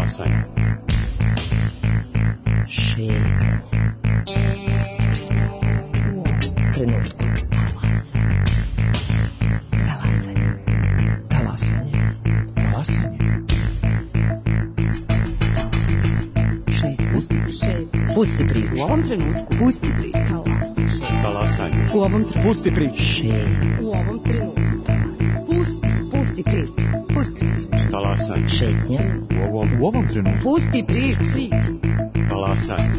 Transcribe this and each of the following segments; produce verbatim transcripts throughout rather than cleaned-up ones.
Talasanje. Šetnja. Trenutku. Talasanje. Talasanje. Talasanje. Šetnja. Pusti priču. U ovom trenutku. Pusti priču. Talasanje. U ovom trenutku. Pusti priču. Šetnja. U ovom trenutku. Pusti, pusti priču. Pusti priču. Talasanje. Šetnja. U ovom, u ovom trenutku. Pusti priču. Talasanje.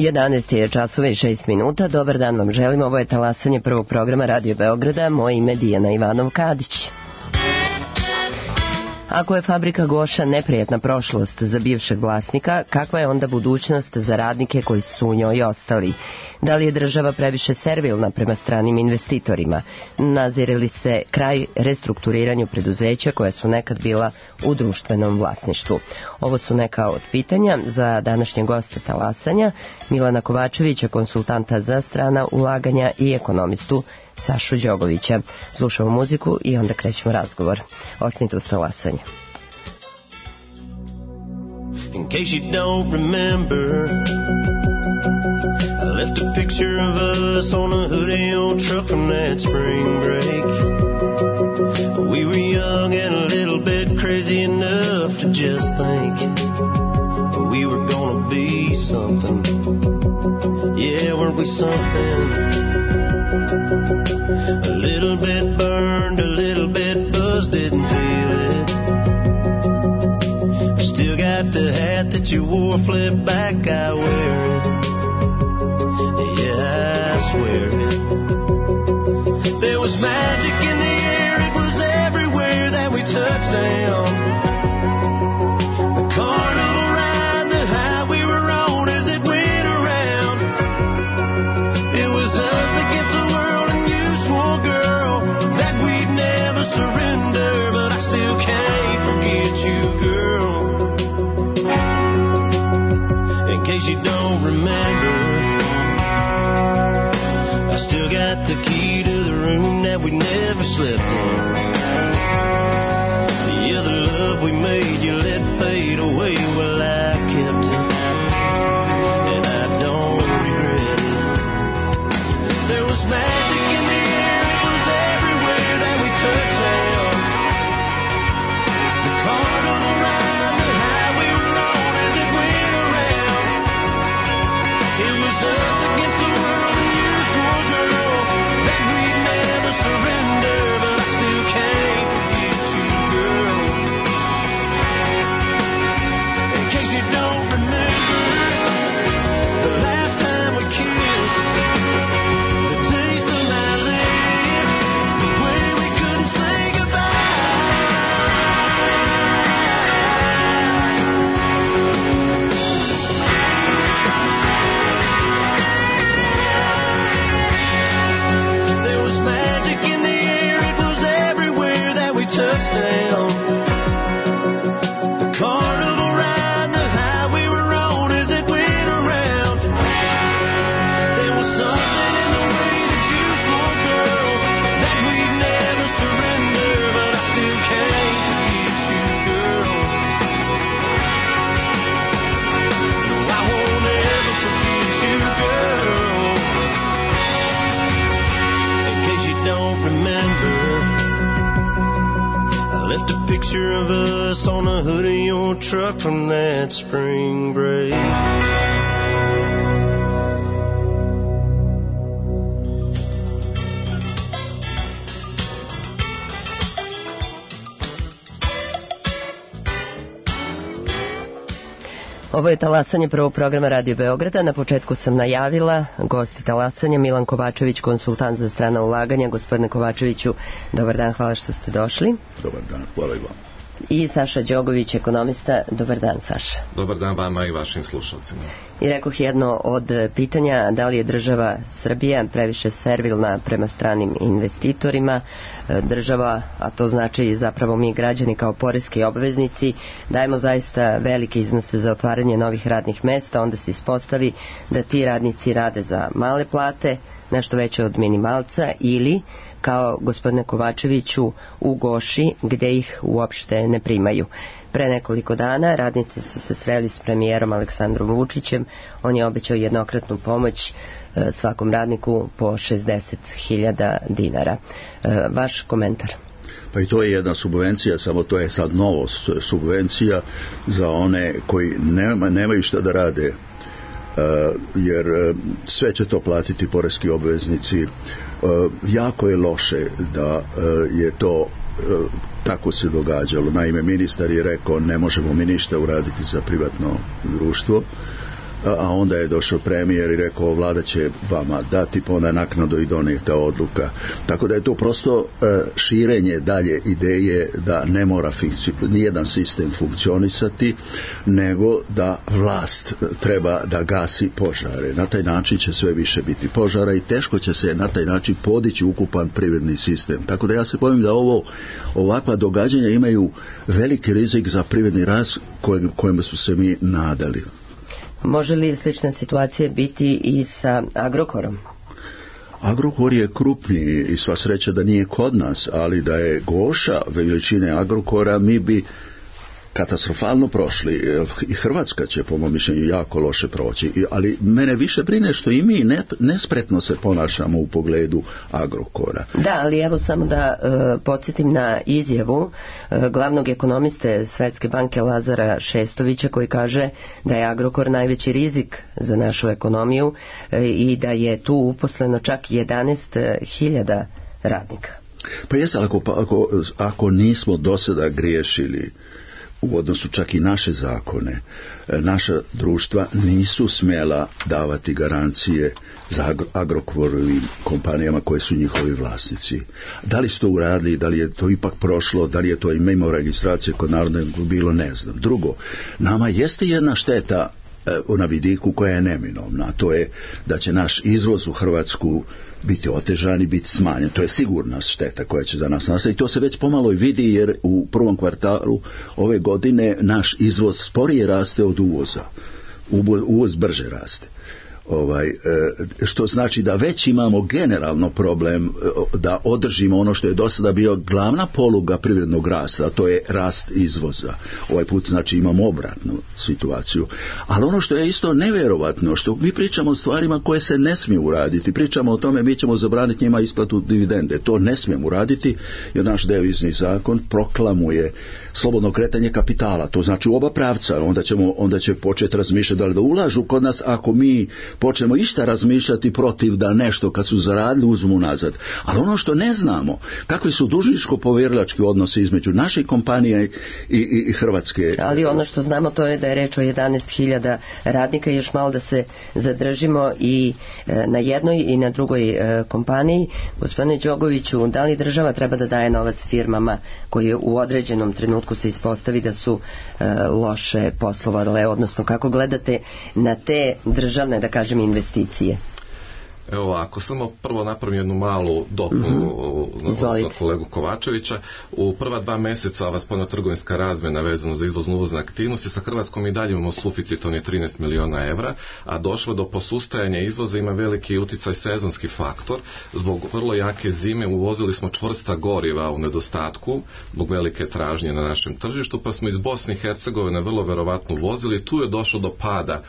jedanaest je časova i šest minuta. Dobar dan vam želim. Ovo je talasanje prvog programa Radio Beograda. Moje ime je Dijana Ivanov-Kadić. Ako je fabrika Goša neprijatna prošlost za bivšeg vlasnika, kakva je onda budućnost za radnike koji su u njoj ostali? Da li je država previše servilna prema stranim investitorima? Nazire li se kraj restrukturiranju preduzeća koja su nekad bila u društvenom vlasništvu? Ovo su neka od pitanja za današnje goste talasanja, Milana Kovačevića, konsultanta za strana ulaganja, i ekonomistu Sašu Đogovića. Slušamo muziku i onda krećemo razgovor. Ostanite uz talasanje. In case you don't remember, I left a picture of us on a hoodie old truck from that spring break. We were young and a little bit crazy enough to just think we were gonna be something. Yeah, weren't we something? A little bit burned, a little bit buzzed, didn't feel it. Still got the hat that you wore, flip back, I wear it. Yeah, I swear it. There was magic in the air, it was everywhere that we touched down. The carnival ride, the high we were on as it went around. It was us against the world, and you swore, girl, that we'd never surrender. But I still can't forget you, girl. In case you don't remember, I still got the key to the room that we never slept in. The other love we made, you let fade away. Well, I kept it, and I don't regret it. There was magic in the air, it was everywhere that we touched down. The carnival ride, the high we were on as it went around. It was us against the world, and you swore, girl, that we'd never surrender. But I still can't forget you, girl. In case you don't remember, the last time we kissed, the taste of my lips, the way we couldn't say goodbye. There was magic in the air, it was everywhere that we touched down. The carnival ride, the high we were on as it went around. There was something in the way that you swore, girl, that we'd never surrender. But I still can't forget you, girl. No, I won't ever forget you, girl. In case you don't remember, I left a picture of us on a hoodie old truck from that spring break. Ovo je talasanje prvog programa Radio Beograda. Na početku sam najavila gosti talasanja Milan Kovačević, konsultant za strana ulaganja. Gospodine Kovačeviću, dobar dan, hvala što ste došli. Dobar dan, hvala i vam. I Saša Đogović, ekonomista. Dobar dan, Saša. Dobar dan vama i vašim slušalcima. I rekoh jedno od pitanja, da li je država Srbija previše servilna prema stranim investitorima. Država, a to znači zapravo mi građani kao poreski obveznici, dajemo zaista velike iznose za otvaranje novih radnih mesta, onda se ispostavi da ti radnici rade za male plate, nešto veće od minimalca, ili kao gospodine Kovačeviću u Goši, gde ih uopšte ne primaju. Pre nekoliko dana radnici su se sreli s premijerom Aleksandrom Vučićem. On je obećao jednokratnu pomoć svakom radniku po šezdeset hiljada dinara. Vaš komentar? Pa i to je jedna subvencija, samo to je sad novost, subvencija za one koji nema, nemaju šta da rade, jer sve će to platiti poreski obveznici. Jako je loše da je to tako se događalo. Naime, ministar je rekao ne možemo mi ništa uraditi za privatno društvo, a onda je došao premijer i rekao vlada će vama dati pa onda naknadno i donijeta odluka. Tako da je to prosto širenje dalje ideje da ne mora nijedan sistem funkcionisati, nego da vlast treba da gasi požare. Na taj način će sve više biti požara i teško će se na taj način podići ukupan privredni sistem. Tako da ja se bojim da ovo ovakva događanja imaju veliki rizik za privredni rast kojem, kojem su se mi nadali. Može li slična situacija biti i sa Agrokorom? Agrokor je krupniji i sva sreća da nije kod nas, ali da je Goša veličine Agrokora, mi bi katastrofalno prošli. I Hrvatska će po mom mišljenju jako loše proći, ali mene više brine što i mi ne, nespretno se ponašamo u pogledu Agrokora. Da, ali evo samo da uh, podsjetim na izjavu uh, glavnog ekonomiste Svetske banke Lazara Šestovića, koji kaže da je Agrokor najveći rizik za našu ekonomiju uh, i da je tu uposleno čak jedanaest hiljada radnika. Pa jes, ako, ako, ako nismo do sada griješili u odnosu čak i naše zakone, naša društva nisu smjela davati garancije za Agrokorovim kompanijama koje su njihovi vlasnici. Da li su to uradili, da li je to ipak prošlo, da li je to i mimo registracije kod Narodne bilo, ne znam. Drugo, nama jeste jedna šteta na vidiku koja je neminovna, a to je da će naš izvoz u Hrvatsku biti otežan i biti smanjen. To je sigurna šteta koja će za nas nastati i to se već pomalo i vidi, jer u prvom kvartalu ove godine naš izvoz sporije raste od uvoza. Uvoz brže raste. Ovaj, što znači da već imamo generalno problem da održimo ono što je do sada bio glavna poluga privrednog rasta, a to je rast izvoza. Ovaj put znači imamo obratnu situaciju. Ali ono što je isto nevjerovatno, što mi pričamo o stvarima koje se ne smiju uraditi, pričamo o tome mi ćemo zabraniti njima isplatu dividende, to ne smijemo uraditi jer naš devizni zakon proklamuje slobodno kretanje kapitala, to znači u oba pravca, onda, ćemo, onda će početi razmišljati da li da ulažu kod nas ako mi počnemo išta razmišljati protiv da nešto kad su zaradili uzmu nazad. Ali ono što ne znamo, kakvi su dužničko-povjerilački odnosi između naših kompanija i, i, i Hrvatske. Ali ono što znamo to je da je reč o jedanaest hiljada radnika i još malo da se zadržimo i e, na jednoj i na drugoj e, kompaniji. Gospodine Đogoviću, da li država treba da daje novac firmama koji u određenom trenutku se ispostavi da su e, loše poslovale, odnosno kako gledate na te državne, da kažem, investicije? Evo ovako, samo prvo napravim jednu malu dopunu mm-hmm. za kolegu Kovačevića. U prva dva mjeseca ova spoljnotrgovinska razmjena vezano za izvoznu uvozne aktivnosti sa Hrvatskom i dalje imamo suficit, on je trinaest miliona evra, a došlo do posustajanja izvoza, ima veliki uticaj sezonski faktor. Zbog vrlo jake zime uvozili smo čvrsta goriva u nedostatku zbog velike tražnje na našem tržištu, pa smo iz Bosne i Hercegovine vrlo verovatno uvozili. Tu je došlo do pada,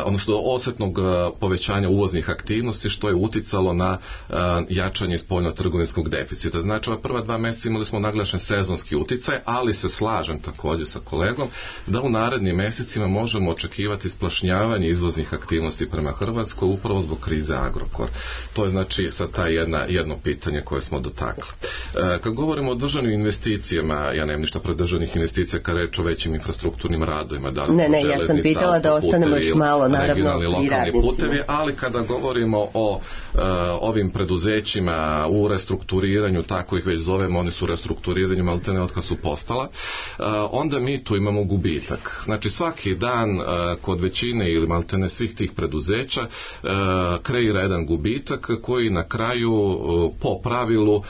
odnosno do osjetnog povećanja uvoznih aktivnosti aktivnosti što je uticalo na uh, jačanje spoljno-trgovinskog deficita. Znači, ova prva dva mjeseca imali smo naglašen sezonski uticaj, ali se slažem također sa kolegom da u narednim mjesecima možemo očekivati splašnjavanje izvoznih aktivnosti prema Hrvatskoj upravo zbog krize Agrokor. To je znači sad ta jedna, jedno pitanje koje smo dotakli. Uh, kad govorimo o državnim investicijama, ja nemam ništa pred državnih investicija kad reč o većim infrastrukturnim radovima, da li ne, ne, ja sam pitala da ostanemo još malo, naravno, i radnicima. Putevi, ali kada govorimo o uh, ovim preduzećima u restrukturiranju, tako ih već zovemo, oni su u restrukturiranju maltene od kad su postala, uh, onda mi tu imamo gubitak. Znači svaki dan uh, kod većine ili maltene svih tih preduzeća uh, kreira jedan gubitak koji na kraju uh, po pravilu uh,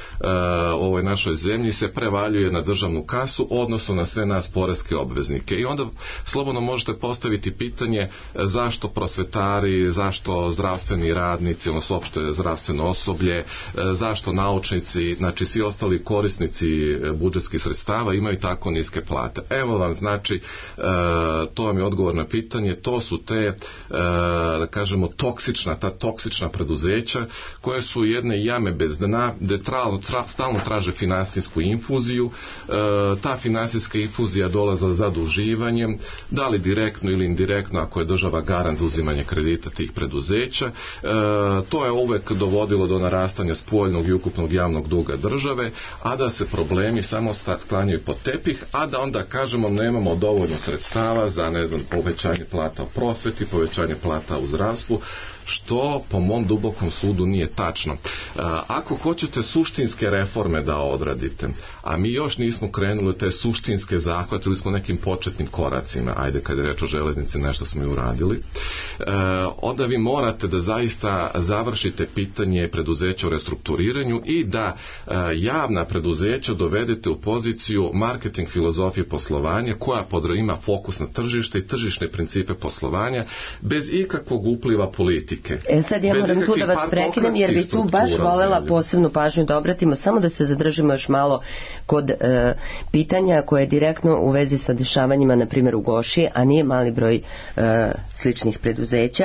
ovoj našoj zemlji se prevaljuje na državnu kasu, odnosno na sve nas poreske obveznike. I onda slobodno možete postaviti pitanje zašto prosvetari, zašto zdravstveni radnici, odnosno uopšte zdravstveno osoblje, zašto naučnici, znači svi ostali korisnici budžetskih sredstava imaju tako niske plate. Evo vam, znači, to vam je odgovor na pitanje, to su te, da kažemo, toksična, ta toksična preduzeća koje su jedne jame bez dna, gde stalno traže finansijsku infuziju, ta finansijska infuzija dolaza zaduživanjem, da li direktno ili indirektno ako je država garant za uzimanje kredita tih preduzeća. E, to je uvek dovodilo do narastanja spoljnog i ukupnog javnog duga države, a da se problemi samo sklanjaju pod tepih, a da onda kažemo nemamo dovoljno sredstava za, ne znam, povećanje plata u prosveti, povećanje plata u zdravstvu, što po mom dubokom sudu nije tačno. Ako hoćete suštinske reforme da odradite, a mi još nismo krenuli te suštinske zahvate, ili smo nekim početnim koracima, ajde kad je reč o železnici nešto smo i uradili, onda vi morate da zaista završite pitanje preduzeća u restrukturiranju i da javna preduzeća dovedete u poziciju marketing filozofije poslovanja koja ima fokus na tržište i tržišne principe poslovanja bez ikakvog upliva politike. E sad ja moram tu da vas prekinem jer bi tu baš volela posebnu pažnju da obratimo, samo da se zadržimo još malo kod e, pitanja koje je direktno u vezi sa dešavanjima na primjer u Goši, a nije mali broj e, sličnih preduzeća.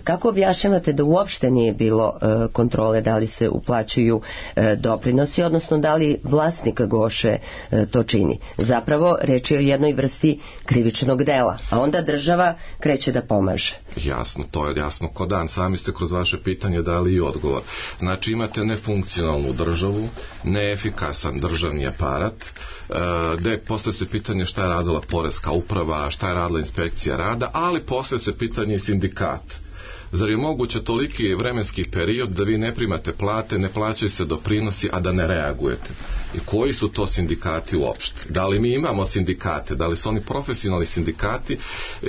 Kako objašnjavate da uopšte nije bilo e, kontrole da li se uplaćuju e, doprinosi, odnosno da li vlasnik Goše e, to čini? Zapravo reč je o jednoj vrsti krivičnog dela, a onda država kreće da pomaže. Jasno, to je jasno ko dan. Sami ste kroz vaše pitanje dali i odgovor. Znači imate nefunkcionalnu državu, neefikasan državni aparat, e, gde postoje se pitanje šta je radila poreska uprava, šta je radila inspekcija rada, ali postoje se pitanje i sindikat. Zar je moguće toliki vremenski period da vi ne primate plate, ne plaćaju se doprinosi, a da ne reagujete? I koji su to sindikati uopšte? Da li mi imamo sindikate? Da li su oni profesionalni sindikati e,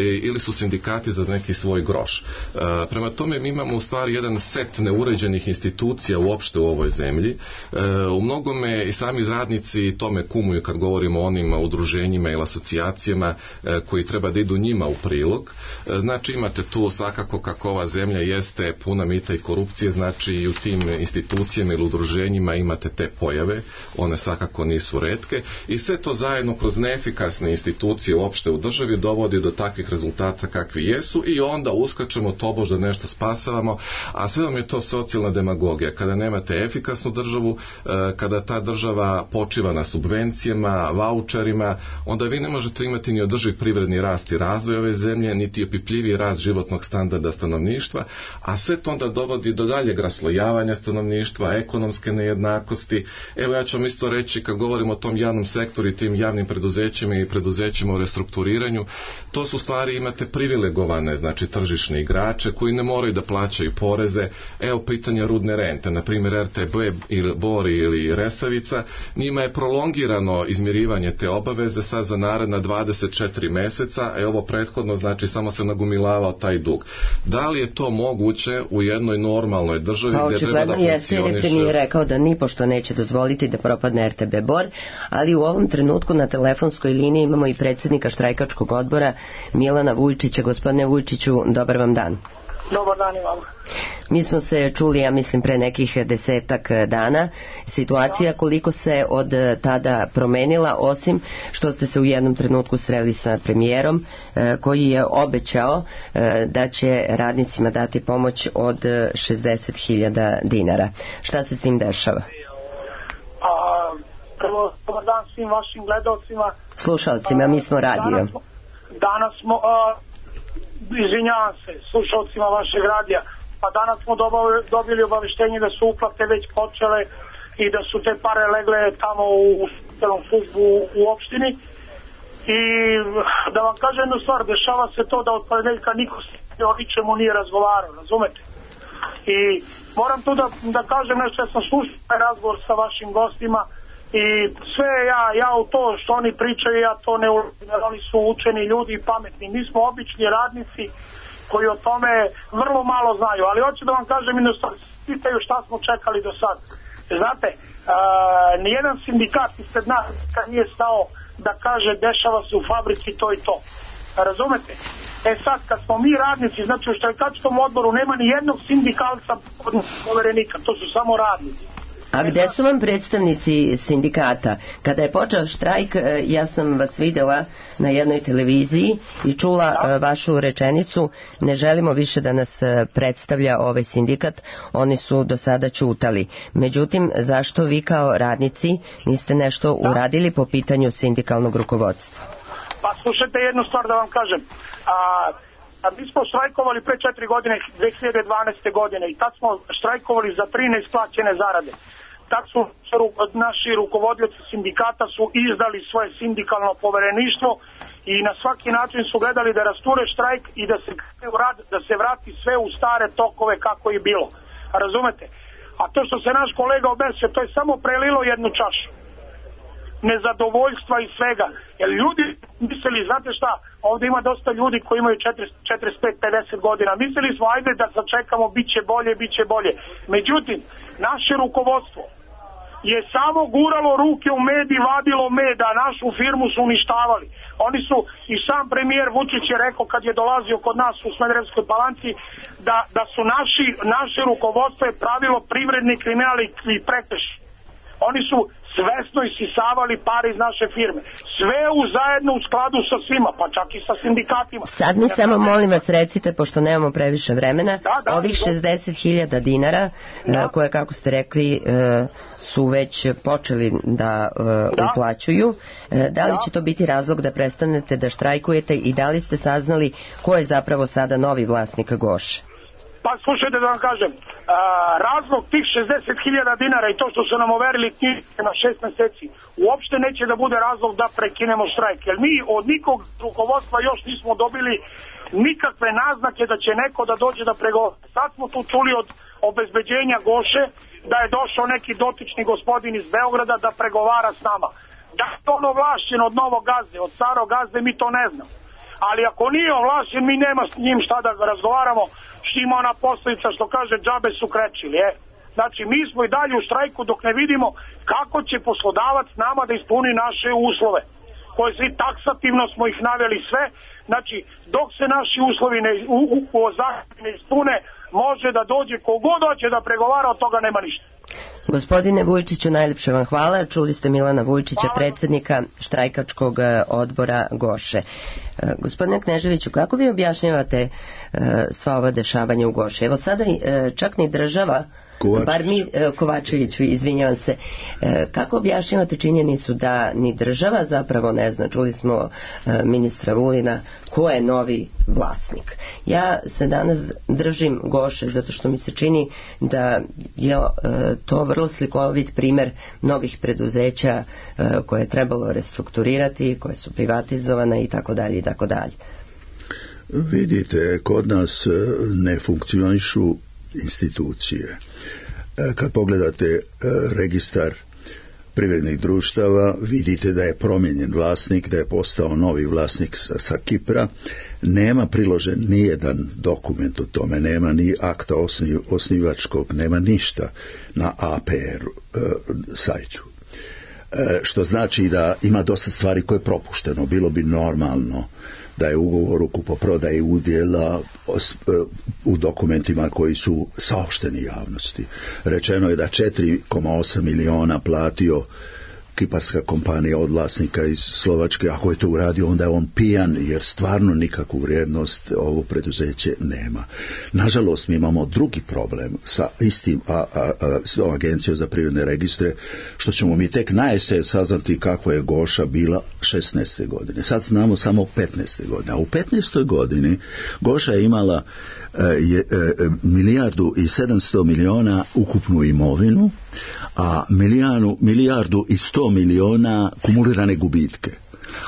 ili su sindikati za neki svoj groš? E, prema tome mi imamo u stvari jedan set neuređenih institucija uopšte u ovoj zemlji. E, u mnogome i sami radnici tome kumuju kad govorimo o onim udruženjima ili asocijacijama e, koji treba da idu njima u prilog. E, znači imate tu svakako kako ova zemlja jeste puna mita i korupcije, znači i u tim institucijama ili udruženjima imate te pojave, one svakako nisu retke i sve to zajedno kroz neefikasne institucije uopšte u državi dovodi do takvih rezultata kakvi jesu i onda uskačemo tobož da nešto spasavamo, a sve vam je to socijalna demagogija. Kada nemate efikasnu državu, kada ta država počiva na subvencijama, vaučerima, onda vi ne možete imati ni održiv privredni rast i razvoj ove zemlje, niti opipljiviji rast životnog standarda stanovništva, a sve to onda dovodi do daljeg raslojavanja stanovništva, ekonomske nejednakosti. Evo ja ću vam isto reći, kad govorimo o tom javnom sektoru i tim javnim preduzećima i preduzećima u restrukturiranju, to su stvari imate privilegovane, znači tržišne igrače koji ne moraju da plaćaju poreze. Evo pitanja rudne rente, na primjer R T B ili Bori ili Resavica, njima je prolongirano izmirivanje te obaveze sad za naredna dvadeset četiri meseca, a ovo prethodno znači samo se nagumilavao taj dug. Da li je to moguće u jednoj normalnoj državi pa, gdje treba da funkcioniše? Pa očigledno je rekao da nipošto neće dozvoliti da propadne R T B Bor, ali u ovom trenutku na telefonskoj liniji imamo i predsjednika štrajkačkog odbora Milana Vujčića. Gospodine Vujčiću, dobar vam dan. Dobar dan i vama. Mi smo se čuli, ja mislim, pre nekih desetak dana. Situacija koliko se od tada promenila, osim što ste se u jednom trenutku sreli sa premijerom koji je obećao da će radnicima dati pomoć od šezdeset hiljada dinara. Šta se s tim dešava? A, prvo, dobar dan svim vašim gledalcima. Slušalcima, mi smo radio. Danas smo, danas smo a, izvinjavam se, slušalcima vašeg radija. Pa danas smo dobili obaveštenje da su uplate već počele i da su te pare legle tamo u celom službu u opštini. I da vam kažem jednu stvar, dešava se to da od ponedeljka niko o ničemu nije razgovarao, razumete? I moram tu da, da kažem nešto, ja sam slušao razgovor sa vašim gostima i sve ja, ja u to što oni pričaju, ja to ne ulazim, jer oni su učeni ljudi i pametni. Mi smo obični radnici koji o tome vrlo malo znaju, ali hoću da vam kažem jednu stvar, pitaju šta smo čekali do sad. Znate, uh, nijedan sindikat ispred nas nije stao da kaže dešava se u fabrici to i to. Razumete? E sad, kad smo mi radnici, znači u štrajkačkom odboru nema ni jednog sindikalca poverenika, to su samo radnici. A gde su vam predstavnici sindikata? Kada je počeo štrajk, ja sam vas vidjela na jednoj televiziji i čula da. vašu rečenicu, ne želimo više da nas predstavlja ovaj sindikat, oni su do sada ćutali. Međutim, zašto vi kao radnici niste nešto da. uradili po pitanju sindikalnog rukovodstva? Pa slušajte jednu stvar da vam kažem. A, a mi smo štrajkovali pre četiri godine, dve hiljade dvanaeste. godine, i tad smo štrajkovali za tri neisplaćene zarade. Tad su naši rukovodioci sindikata su izdali svoje sindikalno povereništvo i na svaki način su gledali da rasture štrajk i da se, da se vrati sve u stare tokove kako je bilo. Razumete? A to što se naš kolega obesio, to je samo prelilo jednu čašu nezadovoljstva i svega. Jer ljudi mislili, znate šta, ovdje ima dosta ljudi koji imaju četrdeset pet pedeset godina. Mislili smo, ajde da sačekamo, bit će bolje, bit će bolje. Međutim, naše rukovodstvo je samo guralo ruke u med i vadilo med, a našu firmu su uništavali. Oni su, i sam premijer Vučić je rekao kad je dolazio kod nas u Smederevskoj Palanci, da, da su naši, naše rukovodstvo je pravilo privredni kriminal i prekrš. Oni su svesno isisavali pare iz naše firme. Sve u zajedno u skladu sa svima, pa čak i sa sindikatima. Sad mi ja samo molim vas recite, pošto nemamo previše vremena, da, da, ovih šezdeset hiljada dinara, da. koje, kako ste rekli, su već počeli da, da. uplaćuju. Da li da. će to biti razlog da prestanete da štrajkujete i da li ste saznali ko je zapravo sada novi vlasnik Goše? Pa slušajte da vam kažem, a, razlog tih šezdeset hiljada dinara i to što su nam overili knjige na šest meseci, uopšte neće da bude razlog da prekinemo štrajk, jer mi od nikog rukovodstva još nismo dobili nikakve naznake da će neko da dođe da pregovara. Sad smo tu čuli od obezbeđenja Goše da je došao neki dotični gospodin iz Beograda da pregovara s nama. Da je on ovlašćen od novog gazde, od starog gazde, mi to ne znamo. Ali ako nije ovlašćen, mi nema s njim šta da razgovaramo, što ima ona poslovica što kaže džabe su krečili, je. Znači, mi smo i dalje u štrajku dok ne vidimo kako će poslodavac nama da ispuni naše uslove, koje svi taksativno smo ih naveli sve. Znači, dok se naši uslovi ne, u, u, u ne ispune, može da dođe kogod hoće da pregovara, od toga nema ništa. Gospodine Vujčiću, najljepše vam hvala. Čuli ste Milana Vujčića, predsjednika štrajkačkog odbora Goše. Gospodine Kneževiću, kako vi objašnjavate sva ova dešavanja u Goši? Evo sada čak ni država, Kovačević. bar mi, Kovačević, izvinjavam se, kako objašnjavate činjenicu da ni država zapravo ne zna, čuli smo ministra Vulina, ko je novi vlasnik? Ja se danas držim Goše zato što mi se čini da je to vrlo slikovit primjer mnogih preduzeća koje je trebalo restrukturirati, koje su privatizovane i tako dalje i tako dalje. Vidite, kod nas ne funkcionišu institucije. Kad pogledate registar privrednih društava, vidite da je promijenjen vlasnik, da je postao novi vlasnik sa, sa Kipra. Nema priložen ni jedan dokument o tome, nema ni akta osniv, osnivačkog, nema ništa na A P R e, sajtu. E, što znači da ima dosta stvari koje je propušteno. Bilo bi normalno da je ugovor o kupoprodaji udjela u dokumentima koji su saopšteni javnosti. Rečeno je da četiri zarez osam miliona platio kiparska kompanija od vlasnika iz Slovačke. Ako je to uradio, onda je on pijan, jer stvarno nikakvu vrijednost ovo preduzeće nema. Nažalost, mi imamo drugi problem sa istim a, a, a, s agencijom za privredne registre, što ćemo mi tek na jesen saznati kako je Goša bila šesnaeste godine. Sad znamo samo petnaeste godine. A u petnaestoj godini Goša je imala e, je, e, milijardu i sedamsto miliona ukupnu imovinu, a milijanu, milijardu i sto miliona kumulirane gubitke.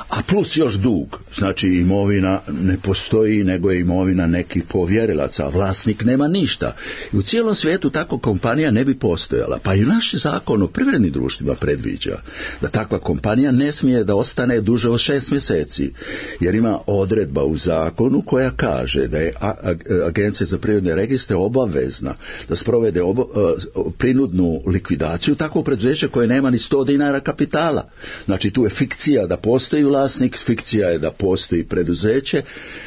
A plus još dug, znači imovina ne postoji, nego je imovina nekih povjerilaca, vlasnik nema ništa. I u cijelom svijetu tako kompanija ne bi postojala. Pa i naš zakon o privrednim društvima predviđa da takva kompanija ne smije da ostane duže od šest mjeseci, jer ima odredba u zakonu koja kaže da je Agencija za privredne registre obavezna da sprovede obo, prinudnu likvidaciju takvog preduzeća koje nema ni sto dinara kapitala. Znači tu je fikcija da postoji vlasnik, fikcija je da postoji preduzeće,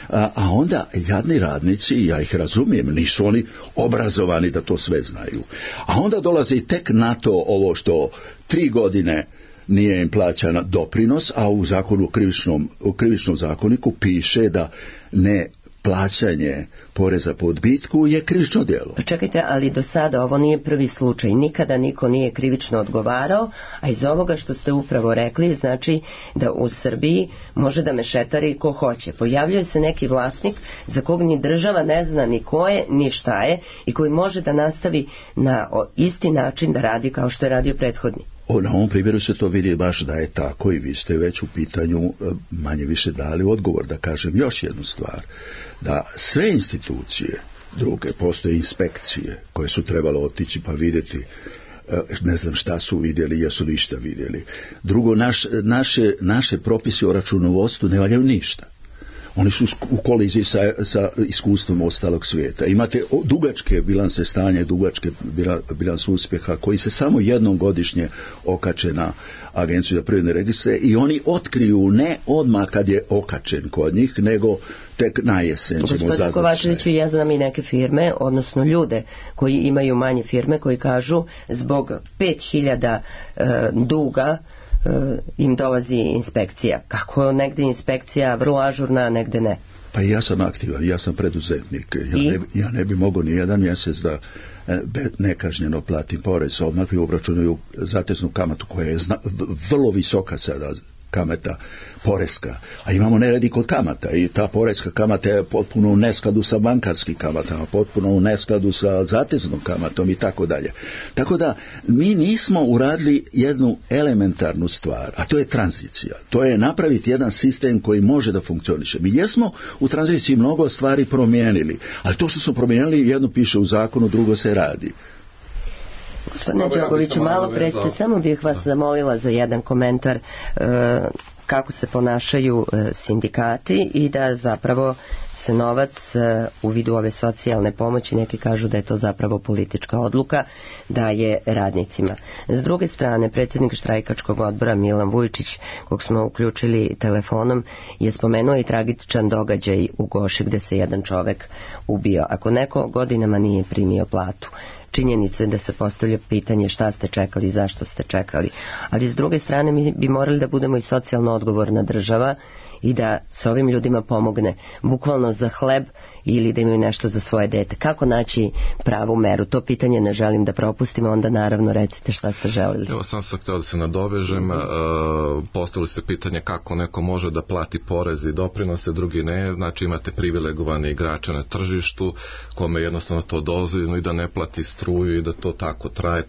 a, a onda jadni radnici, ja ih razumijem, nisu oni obrazovani da to sve znaju. A onda dolazi tek na to ovo što tri godine nije im plaćana doprinos, a u zakonu, u krivičnom, u krivičnom zakoniku piše da ne plaćanje poreza po odbitku je krivično djelo. Pa čekajte, ali do sada ovo nije prvi slučaj. Nikada niko nije krivično odgovarao, a iz ovoga što ste upravo rekli, znači da u Srbiji može da mešetari ko hoće. Pojavljuje se neki vlasnik za kog ni država ne zna ni ko je, ni šta je, i koji može da nastavi na isti način da radi kao što je radio prethodni. O, na ovom primjeru se to vidi baš da je tako i vi ste već u pitanju manje više dali odgovor. Da kažem još jednu stvar, da sve institucije druge, postoje inspekcije koje su trebalo otići pa vidjeti, ne znam šta su vidjeli, jesu li išta vidjeli. Drugo, naš, naše, naše propisi o računovodstvu ne valjaju ništa. Oni su u koliziji sa, sa iskustvom ostalog svijeta. Imate dugačke bilanse stanja, dugačke bilanse uspjeha koji se samo jednom godišnje okače na Agenciju za privredne registre i oni otkriju ne odmah kad je okačen kod njih, nego tek na jesen ćemo zaznati. Gospodin Kovačeviću, ja znam i neke firme, odnosno ljude koji imaju manje firme, koji kažu zbog pet hiljada e, duga im dolazi inspekcija. Kako negde inspekcija vrlo ažurna, a negde ne? Pa ja sam aktivan, ja sam preduzetnik. Ja ne, ja ne bi mogao ni jedan mjesec da nekažnjeno platim porez. Odmah mi obračunaju zateznu kamatu koja je zna, vrlo visoka sada, kamata poreska, a imamo neredi kod kamata i ta poreska kamata je potpuno u neskladu sa bankarskim kamatama, potpuno u neskladu sa zateznom kamatom i tako dalje. Tako da mi nismo uradili jednu elementarnu stvar, a to je tranzicija. To je napraviti jedan sistem koji može da funkcioniše. Mi jesmo u tranziciji mnogo stvari promijenili, ali to što smo promijenili, jedno piše u zakonu, drugo se radi. Gospodine Đogoviću, malo pre ste, samo bih vas zamolila za jedan komentar e, kako se ponašaju e, sindikati i da zapravo se novac e, u vidu ove socijalne pomoći, neki kažu da je to zapravo politička odluka, daje radnicima. S druge strane, predsjednik štrajkačkog odbora Milan Vujčić, kog smo uključili telefonom, je spomenuo i tragičan događaj u Goši gde se jedan čovek ubio. Ako neko godinama nije primio platu, činjenice da se postavlja pitanje šta ste čekali, zašto ste čekali. Ali s druge strane mi bi morali da budemo i socijalno odgovorna država i da se ovim ljudima pomogne bukvalno za hleb ili da imaju nešto za svoje dete. Kako naći pravu meru? To pitanje ne želim da propustimo, onda naravno recite šta ste želili. Evo sam sam htio da se nadovežem, uh, postavili ste pitanje kako neko može da plati porez i doprinose, drugi ne, znači imate privilegovane igrače na tržištu kome jednostavno to dozvoljeno i da ne plati struju i da to tako traje,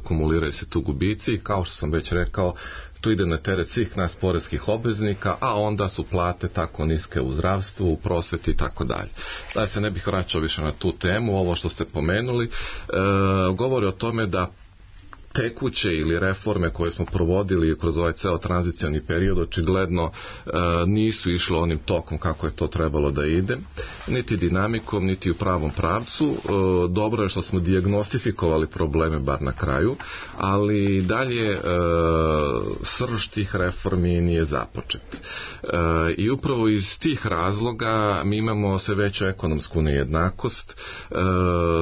kumuliraju se tu gubici i kao što sam već rekao, to ide na teret svih nas poreskih obveznika, a onda su plate tako niske u zdravstvu, u prosveti i tako dalje. Da se ne bih vraćao više na tu temu, ovo što ste pomenuli, e, govori o tome da tekuće ili reforme koje smo provodili kroz ovaj ceo tranzicioni period očigledno e, nisu išlo onim tokom kako je to trebalo da ide niti dinamikom, niti u pravom pravcu. Dobro je što smo dijagnostifikovali probleme bar na kraju, ali dalje srž tih reformi nije započet. I upravo iz tih razloga mi imamo sve veću ekonomsku nejednakost,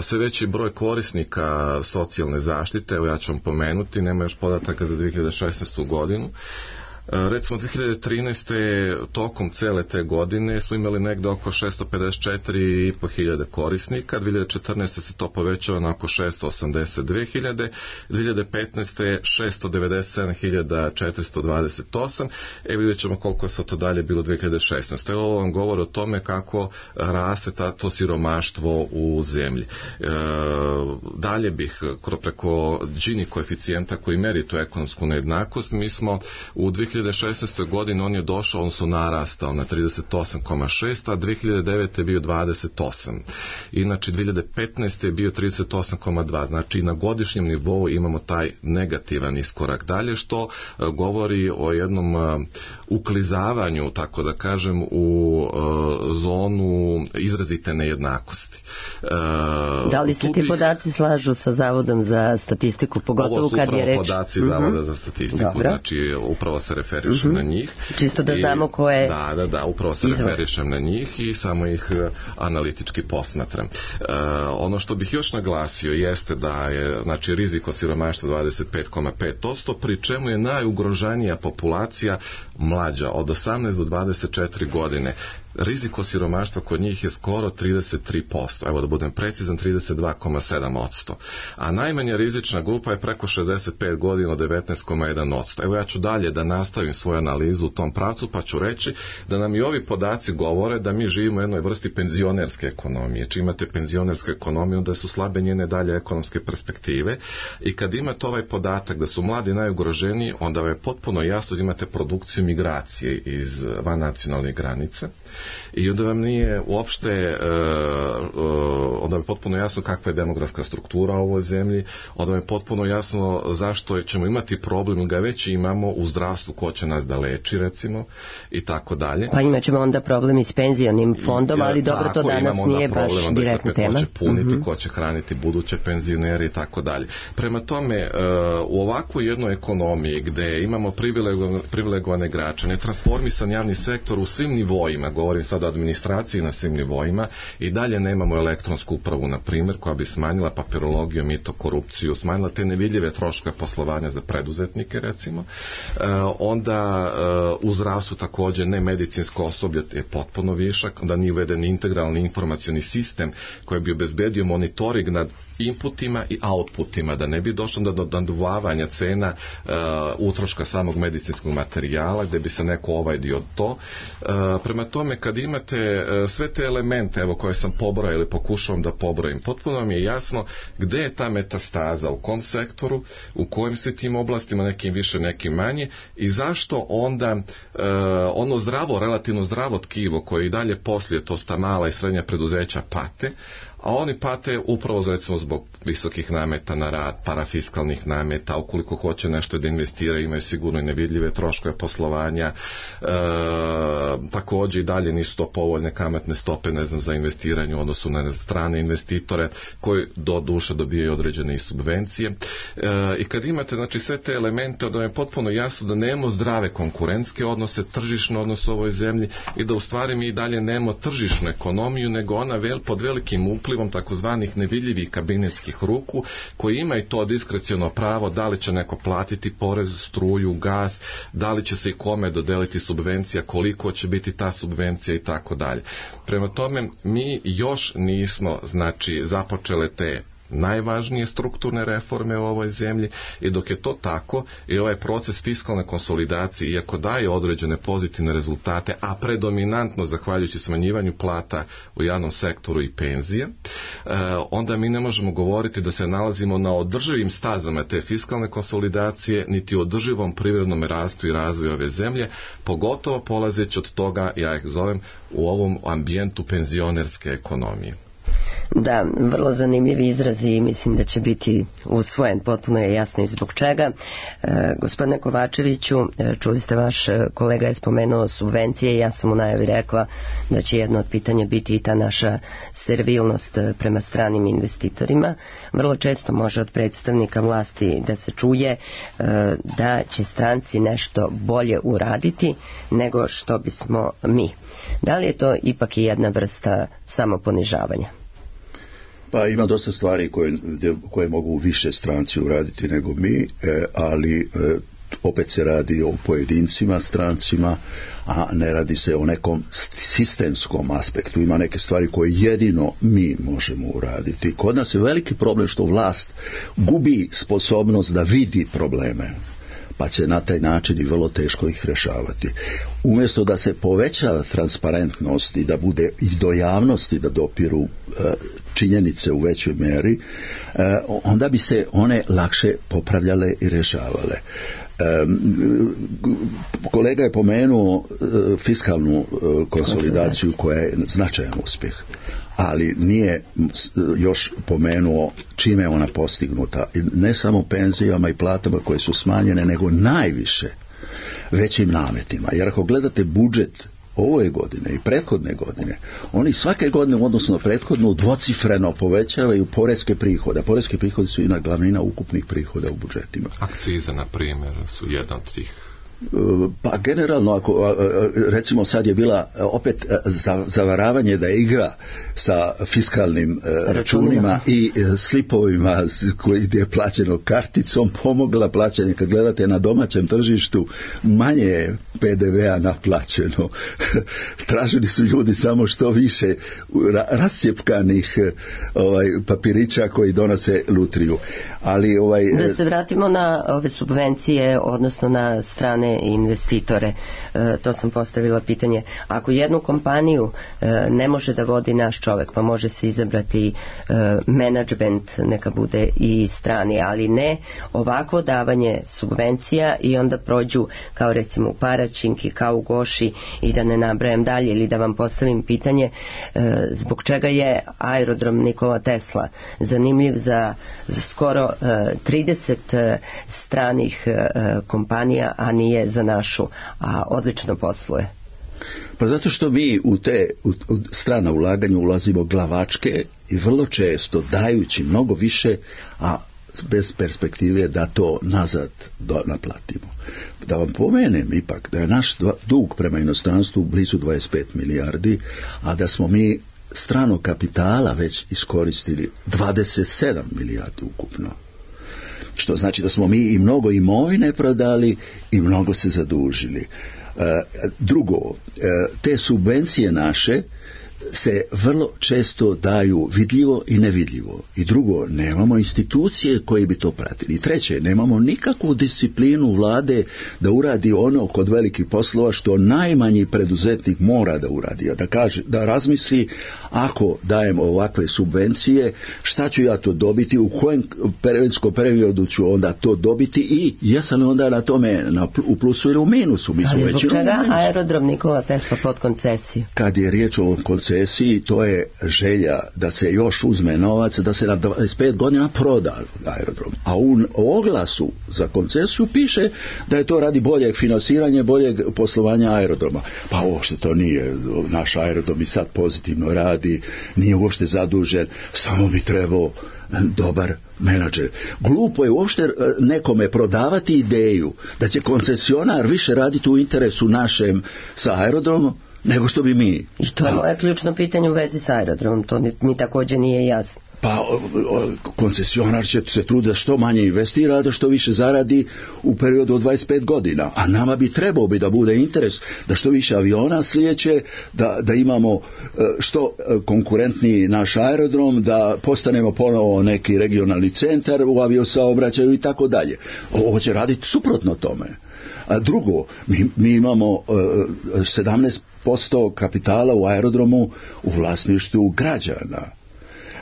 sve veći broj korisnika socijalne zaštite. Evo ja ću vam pomenuti, nema još podataka za dvije hiljade šesnaestu godinu. Recimo dvije hiljade trinaeste. tokom cele te godine smo imali negde oko šesto pedeset četiri i po hiljade korisnika, dvije hiljade četrnaeste. se to povećava na oko šesto osamdeset dve hiljade, dvije hiljade petnaeste. šesto devedeset sedam hiljada četiristo dvadeset osam. E vidjet ćemo koliko je sad to dalje bilo dvije hiljade šesnaeste. Ovo vam govori o tome kako raste ta, to siromaštvo u zemlji. E, dalje bih preko Gini koeficijenta koji meri tu ekonomsku nejednakost, mi smo u dvije hiljade šesnaestoj. godini on je došao, on su narastao na trideset osam zarez šest, a dvije hiljade devete. je bio dvadeset osam. Inače dvije hiljade petnaeste. je bio trideset osam zarez dva. Znači na godišnjem nivou imamo taj negativan iskorak dalje, što uh, govori o jednom uh, uklizavanju, tako da kažem, u uh, zonu izrazite nejednakosti. Uh, da li se ti bih... podaci slažu sa Zavodom za statistiku, pogotovo kad je reč... Ovo su upravo podaci Zavoda uh-huh. za statistiku, Dobro. Znači upravo se referišem uh-huh. na njih. Čisto da znamo ko je... Da, da, da, upravo se izvor. referišem na njih i samo ih analitički posmatram. Uh, ono što bih još naglasio jeste da je, znači, rizik od siromaštva dvadeset pet zarez pet posto, pri čemu je najugroženija populacija mlađa od osamnaest do dvadeset četiri godine. Rizik od siromaštva kod njih je skoro trideset tri posto, evo da budem precizan, trideset dva zarez sedam posto. A najmanja rizična grupa je preko šezdeset pet godina, devetnaest zarez jedan posto. Evo ja ću dalje da nastavim svoju analizu u tom pravcu, pa ću reći da nam i ovi podaci govore da mi živimo u jednoj vrsti penzionerske ekonomije. Čim imate penzionersku ekonomiju, da su slabe njene dalje ekonomske perspektive, i kad imate ovaj podatak da su mladi najugroženiji, onda je potpuno jasno da imate produkciju migracije iz van nacionalnih granica. I onda vam nije uopšte uh, uh, onda je potpuno jasno kakva je demografska struktura u ovoj zemlji, onda je potpuno jasno zašto ćemo imati problem, ga već imamo u zdravstvu, ko će nas da leči, recimo, i tako dalje. Pa imat ćemo onda problem i s penzionim fondom, ali dobro, tako, to danas nije baš direktna tema. Ko će puniti, uh-huh. ko će hraniti buduće penzionere i tako dalje. Prema tome, uh, u ovakvoj jednoj ekonomiji gde imamo privilegovane, privilegovane građane, transformisan javni sektor u svim nivoima, govorim sada o administraciji na svim nivoima, i dalje nemamo elektronsku upravu, na primjer, koja bi smanjila papirologiju, mito, korupciju, smanjila te nevidljive troškove poslovanja za preduzetnike, recimo. E, onda e, u zdravstvu također ne medicinsko osoblje je potpuno višak, onda nije uveden integralni informacioni sistem koji bi obezbedio monitoring nad inputima i outputima, da ne bi došlo do naduvavanja cena uh, utroška samog medicinskog materijala, gdje bi se neko ovajdio to. Uh, prema tome, kad imate uh, sve te elemente, evo, koje sam pobrojao ili pokušavam da pobrojim, potpuno mi je jasno gdje je ta metastaza, u kom sektoru, u kojim se tim oblastima, nekim više, nekim manje, i zašto onda uh, ono zdravo, relativno zdravo tkivo koje i dalje poslije, to sta mala i srednja preduzeća, pate, a oni pate upravo, recimo, zbog visokih nameta na rad, parafiskalnih nameta, ukoliko hoće nešto da investiraju, imaju sigurno i nevidljive troškove poslovanja, e, također i dalje nisu to povoljne kamatne stope, ne znam, za investiranje u odnosu na strane investitore, koji do duše dobijaju određene i subvencije. E, I kad imate, znači, sve te elemente, onda je potpuno jasno da nemamo zdrave konkurentske odnose, tržišne odnose u ovoj zemlji, i da u stvari mi i dalje nemamo tržišnu ekonomiju, nego ona vel, pod velikim uplivom takozvanih nevidljivih kabinetskih ruku, koji ima i to diskreciono pravo da li će neko platiti porez, struju, gas, da li će se i kome dodeliti subvencija, koliko će biti ta subvencija i tako dalje. Prema tome, mi još nismo, znači, započele te najvažnije strukturne reforme u ovoj zemlji, i dok je to tako, i ovaj proces fiskalne konsolidacije, iako daje određene pozitivne rezultate, a predominantno zahvaljujući smanjivanju plata u javnom sektoru i penzije, onda mi ne možemo govoriti da se nalazimo na održivim stazama te fiskalne konsolidacije, niti održivom privrednom rastu i razvoju ove zemlje, pogotovo polazeći od toga, ja ih zovem, u ovom ambijentu penzionerske ekonomije. Da, vrlo zanimljivi izrazi i mislim da će biti usvojen, potpuno je jasno i zbog čega. E, gospodine Kovačeviću, čuli ste, vaš kolega je spomenuo subvencije i ja sam u najavi rekla da će jedno od pitanja biti i ta naša servilnost prema stranim investitorima. Vrlo često može od predstavnika vlasti da se čuje e, da će stranci nešto bolje uraditi nego što bismo mi. Da li je to ipak i jedna vrsta samoponižavanja? Pa ima dosta stvari koje, koje mogu više stranci uraditi nego mi, ali opet se radi o pojedincima, strancima, a ne radi se o nekom sistemskom aspektu. Ima neke stvari koje jedino mi možemo uraditi. Kod nas je veliki problem što vlast gubi sposobnost da vidi probleme, pa će na taj način i vrlo teško ih rješavati. Umjesto da se poveća transparentnost i da bude i do javnosti da dopiru e, činjenice u većoj meri, e, onda bi se one lakše popravljale i rješavale. E, kolega je pomenuo e, fiskalnu e, konsolidaciju koja je značajan uspjeh, ali nije još pomenuo čime je ona postignuta. Ne samo penzijama i platama koje su smanjene, nego najviše većim nametima. Jer ako gledate budžet ove godine i prethodne godine, oni svake godine u odnosu na prethodnu dvocifreno povećavaju poreske prihode. Poreske prihode su i glavnina ukupnih prihoda u budžetima. Akcize, na primjer, su jedna od tih. Pa generalno, ako recimo sad je bila opet zavaravanje da igra sa fiskalnim računima i slipovima koji je plaćeno karticom pomogla plaćanje. Kad gledate na domaćem tržištu, manje je P D V-a naplaćeno. Tražili su ljudi samo što više rascjepkanih ovaj, papirića koji donose lutriju. Ali, ovaj, da se vratimo na ove subvencije, odnosno na strane investitore. E, to sam postavila pitanje. Ako jednu kompaniju e, ne može da vodi naš čovjek, pa može se izabrati e, menadžment, neka bude i strani, ali ne ovako davanje subvencija i onda prođu kao recimo u Paraćinki, kao u Goši i da ne nabrajam dalje, ili da vam postavim pitanje e, zbog čega je aerodrom Nikola Tesla zanimljiv za, za skoro e, trideset e, stranih e, kompanija, a nije za našu, a odlično posluje. Pa zato što mi u te u, u strana ulaganja ulazimo glavačke i vrlo često dajući mnogo više, a bez perspektive da to nazad do, naplatimo. Da vam pomenem ipak da je naš dva, dug prema inostranstvu blizu dvadeset pet milijardi, a da smo mi stranog kapitala već iskoristili dvadeset sedam milijardi ukupno. Što znači da smo mi i mnogo imovine prodali i mnogo se zadužili. E, drugo, e, te subvencije naše se vrlo često daju vidljivo i nevidljivo. I drugo, nemamo institucije koje bi to pratili. I treće, nemamo nikakvu disciplinu vlade da uradi ono kod velikih poslova što najmanji preduzetnik mora da uradi. Da kaže, da razmisli, ako dajem ovakve subvencije, šta ću ja to dobiti, u kojem vremenskom periodu ću onda to dobiti i jesam li onda na tome na, u plusu ili u minusu. Mi Ali zbog čega aerodrom Nikola Tesla pod koncesiju? Kad je riječ o koncesiji, to je želja da se još uzme novac, da se na dvadeset pet godina proda aerodrom. A u oglasu za koncesiju piše da je to radi boljeg finansiranja, boljeg poslovanja aerodroma. Pa uopšte to nije. Naš aerodrom i sad pozitivno radi, nije uopšte zadužen, samo bi trebao dobar menadžer. Glupo je uopšte nekome prodavati ideju da će koncesionar više raditi u interesu našem sa aerodromom nego što bi mi. I to je moje ključno pitanje u vezi s aerodromom, to mi, mi također nije jasno. Pa koncesionar će se truditi da što manje investira, da što više zaradi u periodu od dvadeset pet godina, a nama bi trebao bi da bude interes da što više aviona slijeće, da, da imamo što konkurentniji naš aerodrom, da postanemo ponovo neki regionalni centar u aviosaobraćaju i tako dalje. Ovo će raditi suprotno tome. A drugo, mi, mi imamo uh, sedamnaest posto kapitala u aerodromu u vlasništvu građana.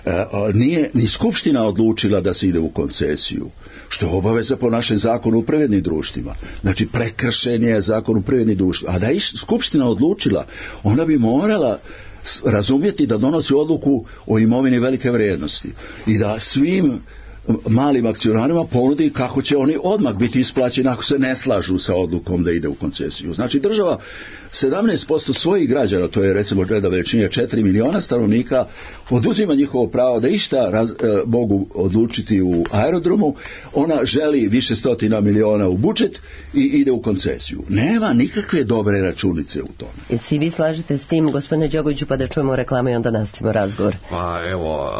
Uh, nije ni skupština odlučila da se ide u koncesiju, što je obaveza po našem zakonu u privrednim društvima. Znači prekršen je zakon u privrednim društvima. A da je skupština odlučila, ona bi morala razumjeti da donosi odluku o imovini velike vrijednosti i da svim malim akcionarima ponudi kako će oni odmah biti isplaćeni ako se ne slažu sa odlukom da ide u koncesiju. Znači država sedamnaest posto svojih građana, to je recimo gleda veličine četiri miliona stanovnika, oduzima njihovo pravo da išta raz, e, mogu odlučiti u aerodromu, ona želi više stotina miliona u budžet i ide u koncesiju. Nema nikakve dobre računice u tome. I si vi slažete s tim, gospodine Đogoviću, pa da čujemo reklamu i onda nastavimo razgovor? Pa evo,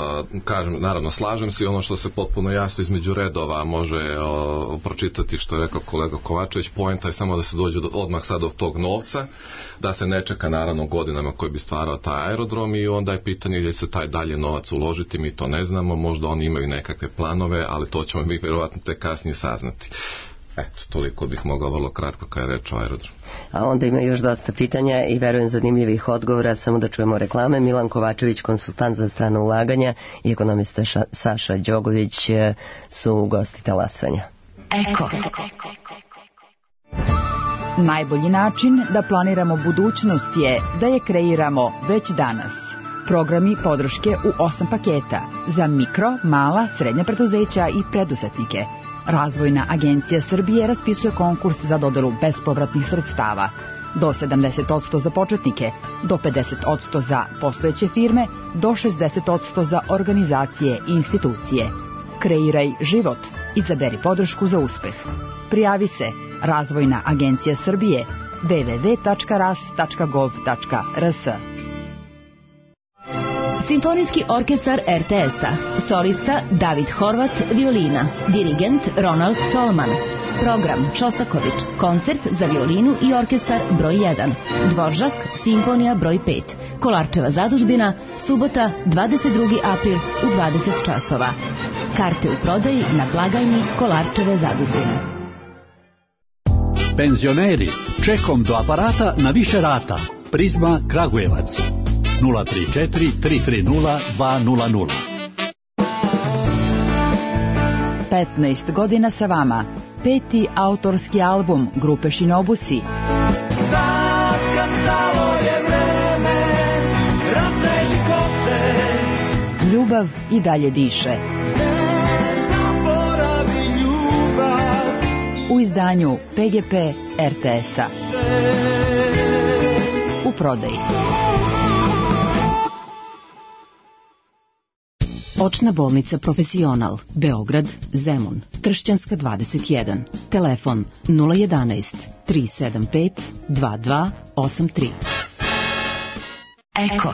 kažem, naravno slažem se i ono što se potpuno jasno između redova može o, pročitati što je rekao kolega Kovačević, poenta je samo da se dođe do, odmah sad do tog novca, da se ne čeka naravno godinama koji bi stvarao taj aerodrom i onda je pitanje gdje se taj dalje novac uložiti, mi to ne znamo, možda oni imaju nekakve planove, ali to ćemo mi vjerovatno te kasnije saznati. Eto, toliko bih mogao vrlo kratko kada je reč o aerodromu. A onda ima još dosta pitanja i verujem zanimljivih odgovora, samo da čujemo reklame. Milan Kovačević, konsultant za strano ulaganja, i ekonomista Ša, Saša Đogović su gosti talasanja. Eko. Najbolji način da planiramo budućnost je da je kreiramo već danas. Programi podrške u osam paketa za mikro, mala, srednja preduzeća i preduzetnike. Razvojna agencija Srbije raspisuje konkurs za dodelu bespovratnih sredstava. Do sedamdeset posto za početnike, do pedeset posto za postojeće firme, do šezdeset posto za organizacije i institucije. Kreiraj život. Izaberi podršku za uspeh. Prijavi se Razvojna agencija Srbije w w w tačka ras tačka gov tačka r s. Simfonijski orkestar er te es-a. Solista David Horvat, violina. Dirigent Ronald Stolman. Program Šostaković. Koncert za violinu i orkestar broj jedan. Dvoržak, simfonija broj pet. Kolarčeva zadužbina, subota dvadeset drugi april u dvadeset časova. Karte u prodaji na blagajni Kolarčeve zadužbine. Penzioneri, čekom do aparata na više rata. Prizma Kragujevac. nula tri četiri tri tri nula dva nula nula. petnaest godina sa vama. Peti autorski album grupe Shinobusi. Sad kad stalo je vreme, razveži kose. Ljubav i dalje diše. Ne zaboravi ljubav. U izdanju pe ge pe er te es-a. U prodaji. Očna bolnica Profesional, Beograd, Zemun, Tršćanska dvadeset jedan. Telefon nula jedanaest tri sedam pet dva dva osam tri. Eko.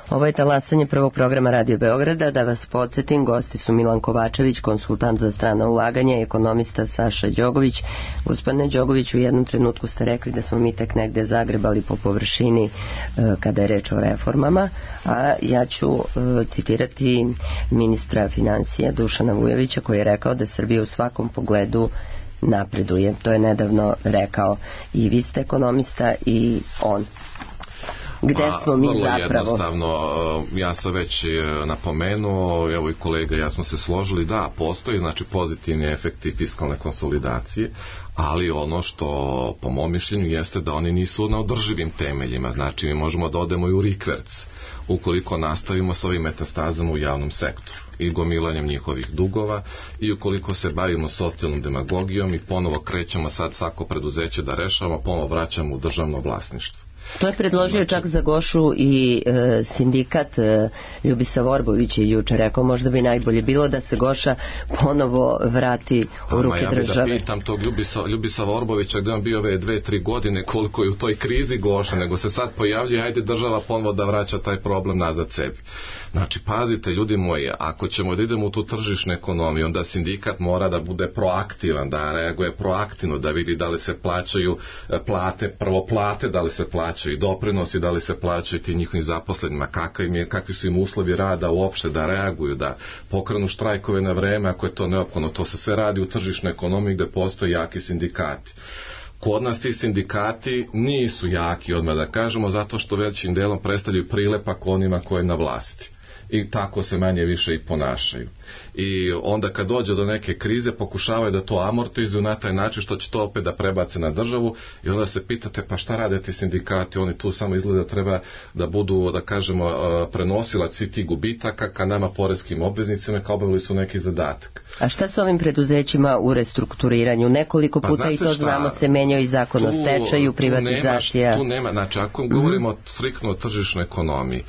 Ovo je talasanje prvog programa Radio Beograda. Da vas podsjetim, gosti su Milan Kovačević, konsultant za strana ulaganja, i ekonomista Saša Đogović. Gospodine Đogović, u jednom trenutku ste rekli da smo mi tek negde zagrebali po površini e, kada je reč o reformama, a ja ću e, citirati ministra financija Dušana Vujovića, koji je rekao da Srbija u svakom pogledu napreduje. To je nedavno rekao i vi ste ekonomista i on. Gde smo mi vrlo zapravo? Jednostavno, ja sam već napomenuo, evo i kolega, ja smo se složili, da, postoji znači pozitivni efekti fiskalne konsolidacije, ali ono što po mom mišljenju jeste da oni nisu na održivim temeljima, znači mi možemo da odemo i u rikverc ukoliko nastavimo s ovim metastazama u javnom sektoru i gomilanjem njihovih dugova, i ukoliko se bavimo socijalnom demagogijom i ponovo krećemo sad svako preduzeće da rešavamo, ponovo vraćamo u državno vlasništvo. To je predložio čak za Gošu i e, sindikat. e, Ljubisa Vorbović je juče rekao, možda bi najbolje bilo da se Goša ponovo vrati u Ama, ruke ja države. Ja da pitam tog Ljubisa, Ljubisa Vorbovića gdje on bio ove dve, tri godine, koliko je u toj krizi Goša, nego se sad pojavljuje, ajde država ponovo da vraća taj problem nazad sebi. Znači, pazite, ljudi moji, ako ćemo da idemo u tu tržišnu ekonomiju, onda sindikat mora da bude proaktivan, da reaguje proaktivno, da vidi da li se plaćaju plate, prvo plate, da li se plaćaju doprinosi, da li se plaćaju ti njihovim zaposlenima, kakvi, im je, kakvi su im uslovi rada uopšte, da reaguju, da pokrenu štrajkove na vreme ako je to neophodno. To se sve radi u tržišnoj ekonomiji gde postoje jaki sindikati. Kod nas ti sindikati nisu jaki, odmah da kažemo, zato što većim delom predstavljaju prilepak onima koji je na vlasti. i tako se manje više i ponašaju. I onda kad dođe do neke krize pokušavaju da to amortizuju na taj način što će to opet da prebace na državu i onda se pitate pa šta rade ti sindikati, oni tu samo izgleda treba da budu, da kažemo, prenosilac svih tih gubitaka ka nama poreskim obveznicima kao obavili su neki zadatak. A šta sa ovim preduzećima u restrukturiranju? Nekoliko puta pa, i to šta, znamo se menjao i zakon o stečaju, privatizacija. Tu nema, tu nema, znači ako govorimo mm-hmm. striktno o tržišnoj ekonomiji,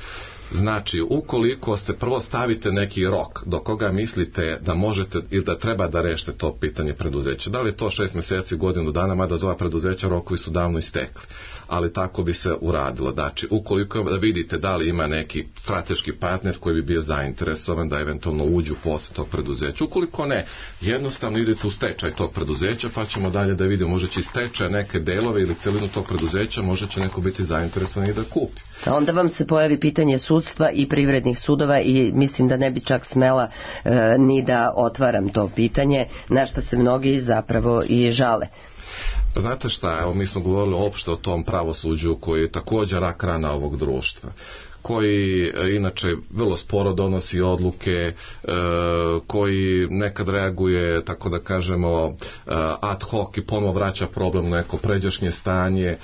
znači, ukoliko ste prvo stavite neki rok do koga mislite da možete ili da treba da rešite to pitanje preduzeća, da li je to šest mjeseci, godinu dana, mada za ova preduzeća rokovi su davno istekli, ali tako bi se uradilo. Znači, ukoliko da vidite da li ima neki strateški partner koji bi bio zainteresovan da eventualno uđu u posao tog preduzeća, ukoliko ne, jednostavno idete u stečaj tog preduzeća pa ćemo dalje da vidimo, može će iz stečaja neke delove ili celinu tog preduzeća, može će neko biti zainteresovan i da kupi. A onda vam se pojavi pitanje sudstva i privrednih sudova i mislim da ne bi čak smela e, ni da otvaram to pitanje, na što se mnogi zapravo i žale. Znate šta, evo mi smo govorili opšte o tom pravosuđu koji je također rak rana ovog društva, koji inače vrlo sporo donosi odluke, e, koji nekad reaguje, tako da kažemo, ad hoc i ponovo vraća problem na neko pređašnje stanje. E,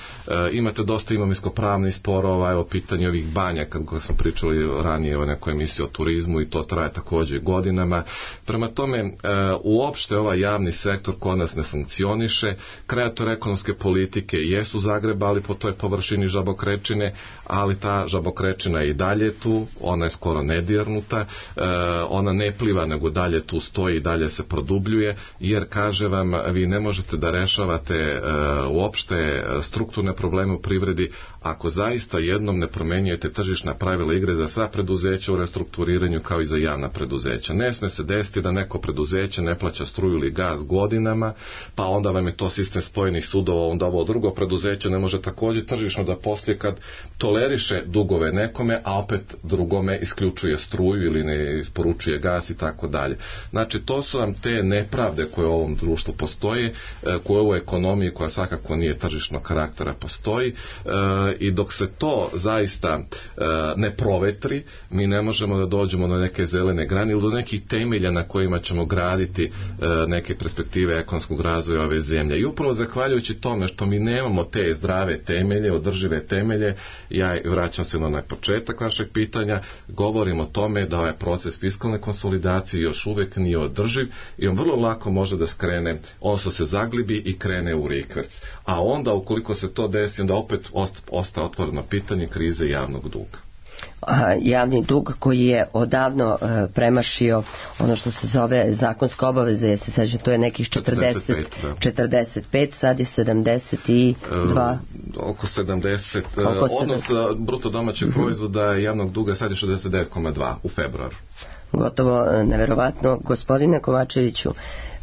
imate dosta imovinsko-pravnih sporova, evo pitanje ovih banja, kako smo pričali ranije o nekoj emisiji o turizmu i to traje također godinama. Prema tome, e, uopšte ovaj javni sektor kod nas ne funkcioniše, kreator ekonomske politike jesu zagrebali po toj površini žabokrečine, ali ta žabokrečina je i dalje tu, ona je skoro nedirnuta, e, ona ne pliva nego dalje tu stoji i dalje se produbljuje, jer kaže vam, vi ne možete da rešavate e, uopšte strukturne probleme u privredi ako zaista jednom ne promenjujete tržišna pravila igre za sva preduzeća u restrukturiranju kao i za javna preduzeća. Ne sme se desiti da neko preduzeće ne plaća struju ili gaz godinama, pa onda vam je to sistem spojenih sudova, onda ovo drugo preduzeće ne može također tržišno da poslije kad toleriše dugove nekome, a opet drugome isključuje struju ili ne isporučuje gas i tako dalje. Znači, to su vam te nepravde koje u ovom društvu postoje, koje u ovoj ekonomiji koja svakako nije tržišnog karaktera postoji, i dok se to zaista ne provetri, mi ne možemo da dođemo na neke zelene grane ili do nekih temelja na kojima ćemo graditi neke perspektive ekonomskog razvoja ove zemlje. I upravo zahvaljujući tome što mi nemamo te zdrave temelje, održive temelje, ja vraćam se na onaj početak vašeg pitanja, govorim o tome da ovaj proces fiskalne konsolidacije još uvijek nije održiv i on vrlo lako može da skrene, odnosno se zaglibi i krene u rikverc. A onda, ukoliko se to desi, onda opet ostaje otvoreno pitanje krize javnog duga. Javni dug koji je odavno e, premašio ono što se zove zakonska obaveza, je se sećam, to je nekih četrdeset, četrdeset pet, sad je sedamdeset dva. E, oko sedamdeset, oko odnos bruto domaćeg mm-hmm. proizvoda javnog duga sad je šezdeset devet zarez dva u februaru. Gotovo neverovatno. Gospodine Kovačeviću,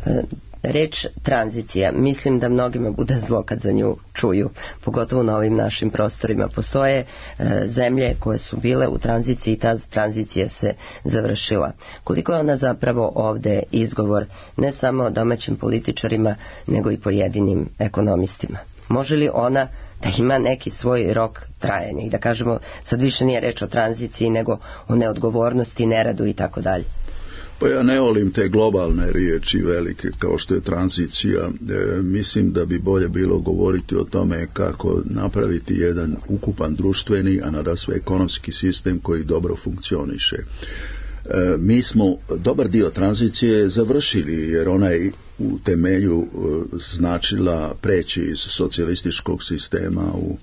e, reč tranzicija, mislim da mnogima bude zlo kad za nju čuju, pogotovo na ovim našim prostorima. Postoje e, zemlje koje su bile u tranziciji i ta tranzicija se završila. Koliko je ona zapravo ovde izgovor ne samo domaćim političarima, nego i pojedinim ekonomistima? Može li ona da ima neki svoj rok trajanja i da kažemo sad više nije reč o tranziciji nego o neodgovornosti, neradu i tako dalje? Pa ja ne volim te globalne riječi velike kao što je tranzicija. E, mislim da bi bolje bilo govoriti o tome kako napraviti jedan ukupan društveni, a nadasve ekonomski sistem koji dobro funkcioniše. E, mi smo dobar dio tranzicije završili jer ona je u temelju e, značila preći iz socijalističkog sistema u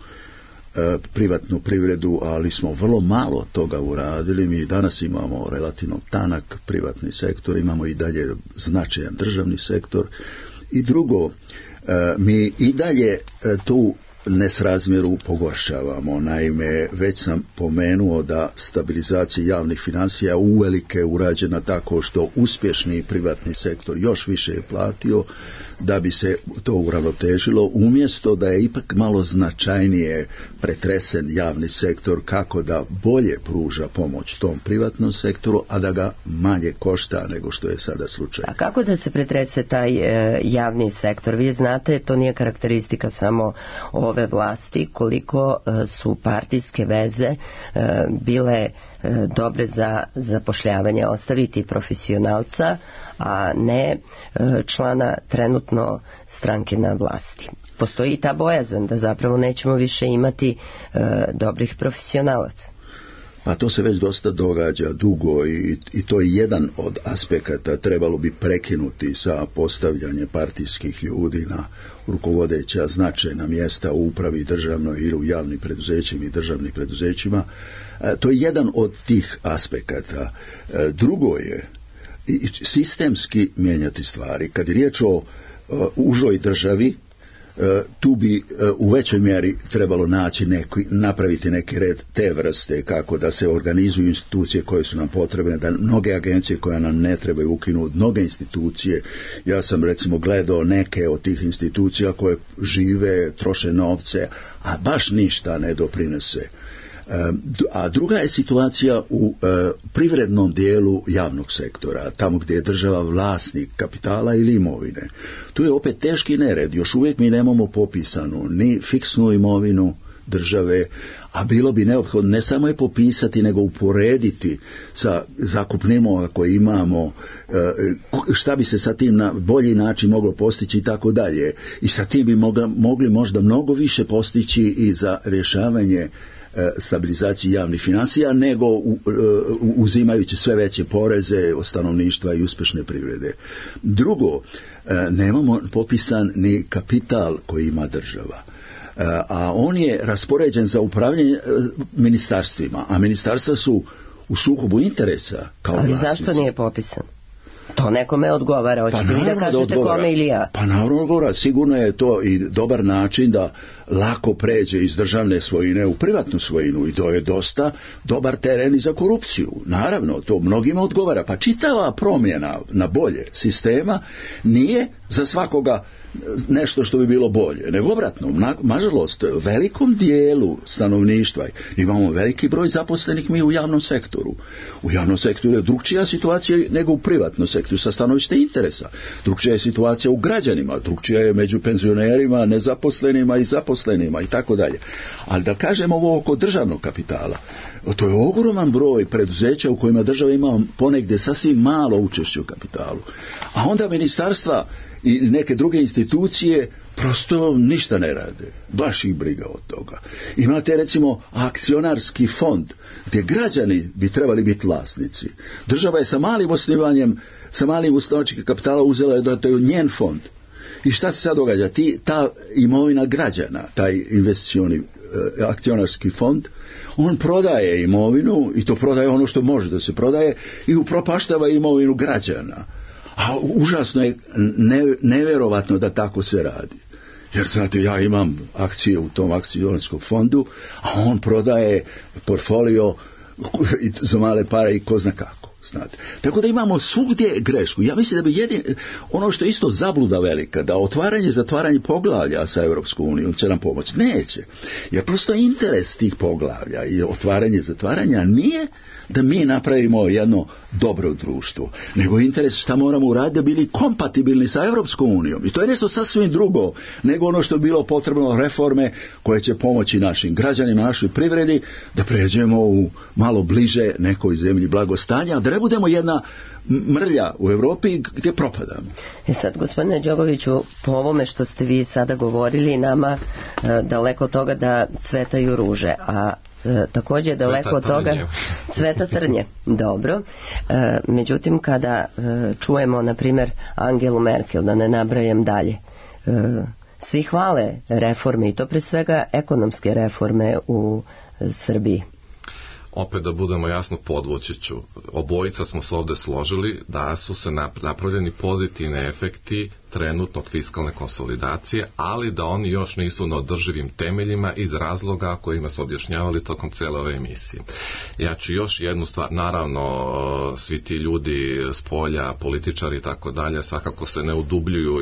privatnu privredu, ali smo vrlo malo toga uradili. Mi danas imamo relativno tanak privatni sektor, imamo i dalje značajan državni sektor. I drugo, mi i dalje tu nesrazmjeru pogoršavamo. Naime, već sam pomenuo da stabilizacija javnih financija uvelike urađena tako što uspješni privatni sektor još više je platio da bi se to uravnotežilo, umjesto da je ipak malo značajnije pretresen javni sektor kako da bolje pruža pomoć tom privatnom sektoru, a da ga manje košta nego što je sada slučaj. A kako da se pretrese taj e, javni sektor? Vi znate, to nije karakteristika samo ovdje ove vlasti, koliko su partijske veze bile dobre za zapošljavanje, ostaviti profesionalca, a ne člana trenutno stranke na vlasti. Postoji ta bojazan da zapravo nećemo više imati dobrih profesionalaca. Pa to se već dosta događa dugo i, i to je jedan od aspekata. Trebalo bi prekinuti sa postavljanje partijskih ljudi na rukovodeća značajna mjesta u upravi državnoj ili u javnim preduzećima i državnim preduzećima. E, to je jedan od tih aspekata. E, drugo je i sistemski mijenjati stvari. Kad je riječ o e, užoj državi, tu bi u većoj mjeri trebalo naći neki, napraviti neki red te vrste, kako da se organizuju institucije koje su nam potrebne, da mnoge agencije koje nam ne trebaju ukinuti, mnoge institucije. Ja sam recimo gledao neke od tih institucija koje žive, troše novce, a baš ništa ne doprinese. A druga je situacija u e, privrednom dijelu javnog sektora, tamo gdje je država vlasnik kapitala ili imovine. Tu je opet teški nered, još uvijek mi nemamo popisanu ni fiksnu imovinu države, a bilo bi neophodno ne samo je popisati, nego uporediti sa zakupnimama koje imamo, šta bi se sa tim na bolji način moglo postići i tako dalje. I sa tim bi mogli, mogli možda mnogo više postići i za rješavanje stabilizaciji javnih financija, nego uzimajući sve veće poreze od stanovništva i uspješne privrede. Drugo, nemamo popisan ni kapital koji ima država, a on je raspoređen za upravljanje ministarstvima, a ministarstva su u sukobu interesa kao Ali vlasnici. Zašto nije popisan? To nekome odgovara, hoćete pa vi da kažete da kome ili ja? Pa naravno odgovara, sigurno je to i dobar način da lako pređe iz državne svojine u privatnu svojinu i to je dosta dobar teren i za korupciju. Naravno, to mnogima odgovara. Pa čitava promjena na bolje sistema nije za svakoga nešto što bi bilo bolje, nego obratno, na, nažalost, velikom dijelu stanovništva imamo veliki broj zaposlenih mi u javnom sektoru. U javnom sektoru je drugčija situacija nego u privatnom sektoru sa stanovište interesa. Drugčija je situacija u građanima, drugčija je među penzionerima, nezaposlenima i zaposlenima i tako dalje. Ali da kažemo ovo oko državnog kapitala, to je ogroman broj preduzeća u kojima država ima ponegdje sasvim malo učešće u kapitalu. A onda ministarstva i neke druge institucije prosto ništa ne rade. Baš ih briga od toga. Imate recimo akcionarski fond gdje građani bi trebali biti vlasnici. Država je sa malim osnivanjem, sa malim osnivačkim kapitala uzela da to je njen fond. I šta se sad događa? Ti, ta imovina građana, taj investicioni eh, akcionarski fond, on prodaje imovinu i to prodaje ono što može da se prodaje i upropaštava imovinu građana. A užasno je ne, nevjerovatno da tako se radi. Jer znate, ja imam akcije u tom akcionarskom fondu, a on prodaje portfolio za male pare i ko zna kako. Znate. Tako da imamo svugdje grešku. Ja mislim da bi jedin, ono što je isto zabluda velika, da otvaranje i zatvaranje poglavlja sa Europskom unijom će nam pomoći. Neće. Jer prosto interes tih poglavlja i otvaranje i zatvaranja nije da mi napravimo jedno dobro društvo, nego interes šta moramo uraditi da bili kompatibilni sa Europskom unijom. I to je nešto sasvim drugo nego ono što je bilo potrebno reforme koje će pomoći našim građanima, našoj privredi da pređemo u malo bliže nekoj zemlji blagostanja, da ne budemo jedna mrlja u Europi gdje propadamo. E sad, gospodine Đogoviću, po ovome što ste vi sada govorili, nama e, daleko od toga da cvetaju ruže, a E, također daleko od toga cveta trnje. Dobro. E, međutim, kada e, čujemo, na primjer, Angelu Merkel, da ne nabrajam dalje, e, svi hvale reforme i to pre svega ekonomske reforme u e, Srbiji. Opet da budemo jasno, podvući ću. Obojica smo se ovdje složili da su se napravljeni pozitivni efekti trenutnog fiskalne konsolidacije, ali da oni još nisu na održivim temeljima iz razloga kojima su objašnjavali tokom cijele ove emisije. Ja ću još jednu stvar, naravno svi ti ljudi s polja, političari i tako dalje, svakako se ne udubljuju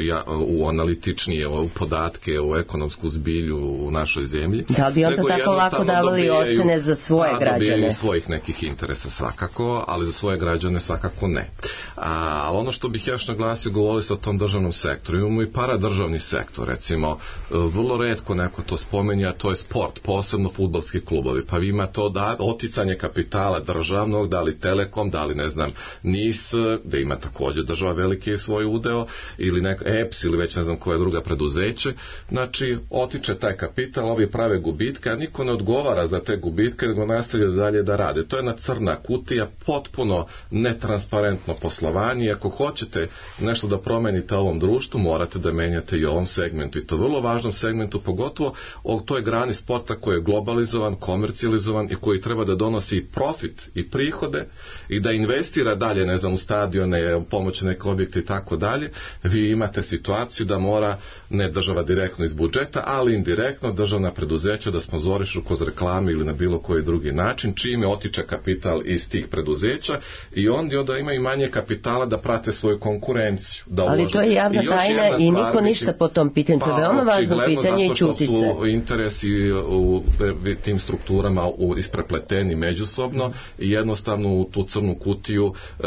u analitičnije u podatke, u ekonomsku zbilju u našoj zemlji. Da li bi onda tako lako davali ocene za svoje građane? Dobijaju svojih nekih interesa svakako, ali za svoje građane svakako ne. A, ali ono što bih još naglasio, govorili ste o tom državnom sektor, imamo i paradržavni sektor, recimo vrlo retko neko to spomenja, a to je sport, posebno fudbalski klubovi, pa vi ima to da oticanje kapitala državnog, da li Telekom, da li ne znam NIS, gde ima također država veliki svoj udeo, ili neka E P S ili već ne znam koja druga preduzeće, znači otiče taj kapital, ovi prave gubitke, a niko ne odgovara za te gubitke, nego nastavlja dalje da rade. To je jedna crna kutija, potpuno netransparentno poslovanje. Ako hoćete nešto da promenite ovom društvu, morate da menjate i ovom segmentu, i to vrlo važnom segmentu, pogotovo o toj grani sporta koji je globalizovan, komercijalizovan i koji treba da donosi i profit i prihode i da investira dalje, ne znam, u stadione, u pomoći neke objekte i tako dalje. Vi imate situaciju da mora, ne država direktno iz budžeta, ali indirektno državna preduzeća da sponzorišu kroz reklame ili na bilo koji drugi način, čime otiče kapital iz tih preduzeća i onda, onda imaju manje kapitala da prate svoju konkurenciju. Da ali ulože. to je javna I tajna i niko biti, ništa po tom pitanju. To je pa, veoma važno pitanje i čuti se. Zato što su interesi u tim strukturama isprepleteni međusobno i jednostavno u tu crnu kutiju e,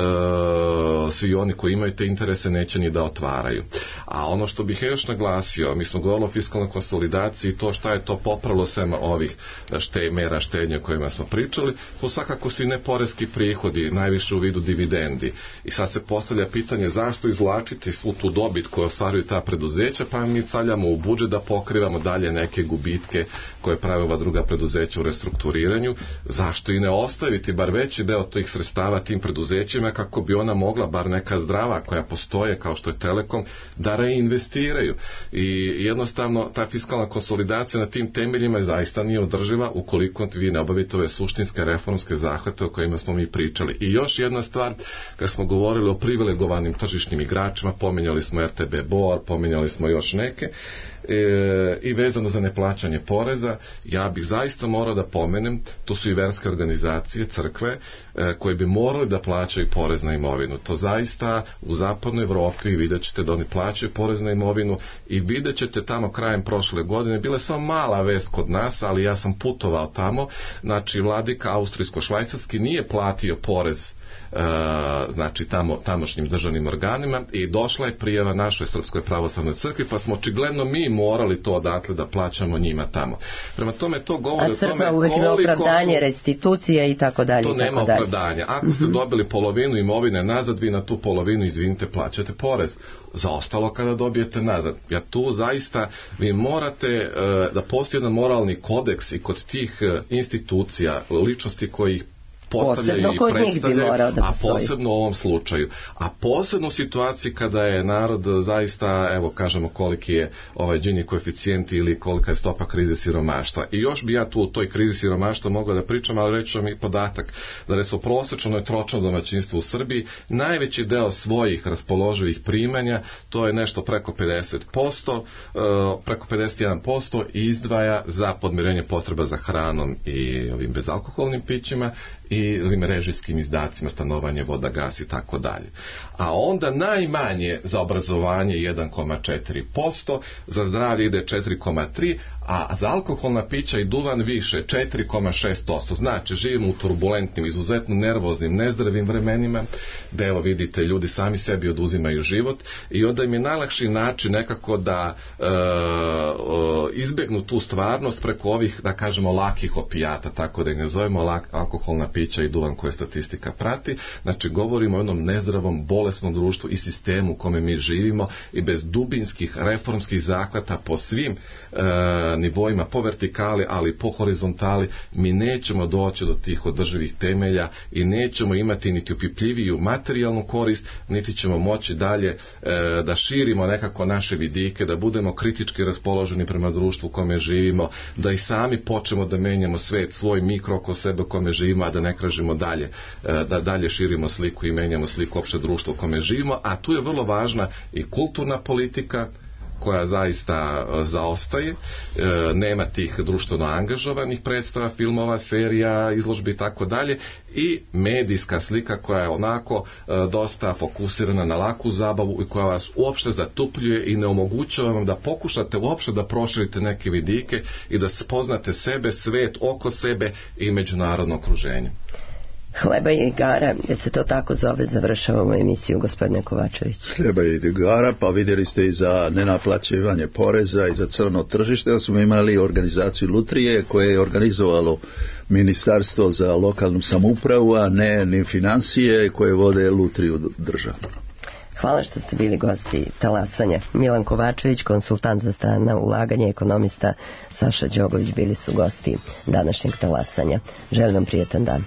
svi oni koji imaju te interese neće ni da otvaraju. A ono što bih još naglasio, mi smo govorili o fiskalnoj konsolidaciji i to šta je to popravilo sem ovih šte, mera štednje o kojima smo pričali, to svakako su i neporeski prihodi, najviše u vidu dividendi. I sad se postavlja pitanje zašto izvlačiti svu tu dobit koju ostvaruju ta preduzeća, pa mi caljamo u budžet da pokrivamo dalje neke gubitke koje prave ova druga preduzeća u restrukturiranju. Zašto i ne ostaviti bar veći deo tih sredstava tim preduzećima kako bi ona mogla, bar neka zdrava koja postoje kao što je Telekom, da reinvestiraju. I jednostavno ta fiskalna konsolidacija na tim temeljima je zaista nije održiva ukoliko vi ne obavite ove suštinske reformske zahvate o kojima smo mi pričali. I još jedna stvar, kad smo govorili o privilegovanim tržišnim igračima, pominjali smo R T B Bor, pominjali smo još neke, E, i vezano za neplaćanje poreza, ja bih zaista morao da pomenem, to su i verske organizacije, crkve, e, koje bi morali da plaćaju porez na imovinu. To zaista u zapadnoj Evropi vidjet ćete da oni plaćaju porez na imovinu i vidjet ćete tamo krajem prošle godine, bila je samo mala vest kod nas, ali ja sam putovao tamo, znači vladika austrijsko-švajcarski nije platio porez Uh, znači tamo, tamošnjim državnim organima i došla je prijava našoj Srpskoj pravoslavnoj crkvi, pa smo očigledno mi morali to odatle da plaćamo njima tamo. Prema tome to govori o tome koliko... A crkva uvek ima opravdanje, restitucija i tako dalje. To nema opravdanja. Ako ste dobili polovinu imovine nazad, vi na tu polovinu, izvinite, plaćate porez. Za ostalo kada dobijete nazad. Ja tu zaista, vi morate uh, da postoji jedan moralni kodeks i kod tih uh, institucija, ličnosti koji ih postavljaju i predstavljaju, a posebno u ovom slučaju. A posebno u situaciji kada je narod zaista, evo kažemo koliki je ovaj Gini koeficijent ili kolika je stopa krize siromaštva. I još bi ja tu u toj krizi siromaštva mogla da pričam, ali reći vam i podatak da recimo prosečno je tročno domaćinstvo u Srbiji, najveći deo svojih raspoloživih primanja, to je nešto preko pedeset posto, preko pedeset jedan posto izdvaja za podmirenje potreba za hranom i ovim bezalkoholnim pićima i ovim režijskim izdacima, stanovanje, voda, gas i tako dalje. A onda najmanje za obrazovanje jedan zarez četiri posto, za zdravlje ide četiri zarez tri posto, a za alkoholna pića i duvan više četiri zarez šest posto. Znači, živimo u turbulentnim, izuzetno nervoznim, nezdravim vremenima, da evo vidite, ljudi sami sebi oduzimaju život i onda im je najlakši način nekako da e, e, izbegnu tu stvarnost preko ovih, da kažemo, lakih opijata, tako da ih ne zovemo lak, alkoholna pića i duvan koje statistika prati. Znači, govorimo o jednom nezdravom, bolesnom društvu i sistemu u kome mi živimo i bez dubinskih reformskih zahvata po svim e, nivoima, po vertikali, ali i po horizontali, mi nećemo doći do tih održivih temelja i nećemo imati niti upipljiviju materijalnu korist, niti ćemo moći dalje e, da širimo nekako naše vidike, da budemo kritički raspoloženi prema društvu u kome živimo, da i sami počnemo da menjamo svet, svoj mikro oko sebe u kome živimo, a da ne kražimo dalje, e, da dalje širimo sliku i menjamo sliku opšte društva u kome živimo, a tu je vrlo važna i kulturna politika koja zaista zaostaje, e, nema tih društveno angažovanih predstava, filmova, serija, izložbi i tako dalje, i medijska slika koja je onako e, dosta fokusirana na laku zabavu i koja vas uopšte zatupljuje i ne omogućava vam da pokušate uopšte da proširite neke vidike i da spoznate sebe, svet oko sebe i međunarodno okruženje. Hleba i igara, da se to tako zove, završavamo emisiju, gospodine Kovačević. Hleba i igara, pa vidjeli ste i za nenaplaćivanje poreza i za crno tržište, da smo imali organizaciju Lutrije koje je organizovalo Ministarstvo za lokalnu samoupravu, a ne ni financije koje vode Lutriju državu. Hvala što ste bili gosti Talasanja. Milan Kovačević, konsultant za strana ulaganja, ekonomista Saša Đogović bili su gosti današnjeg Talasanja. Želim vam prijetan dan.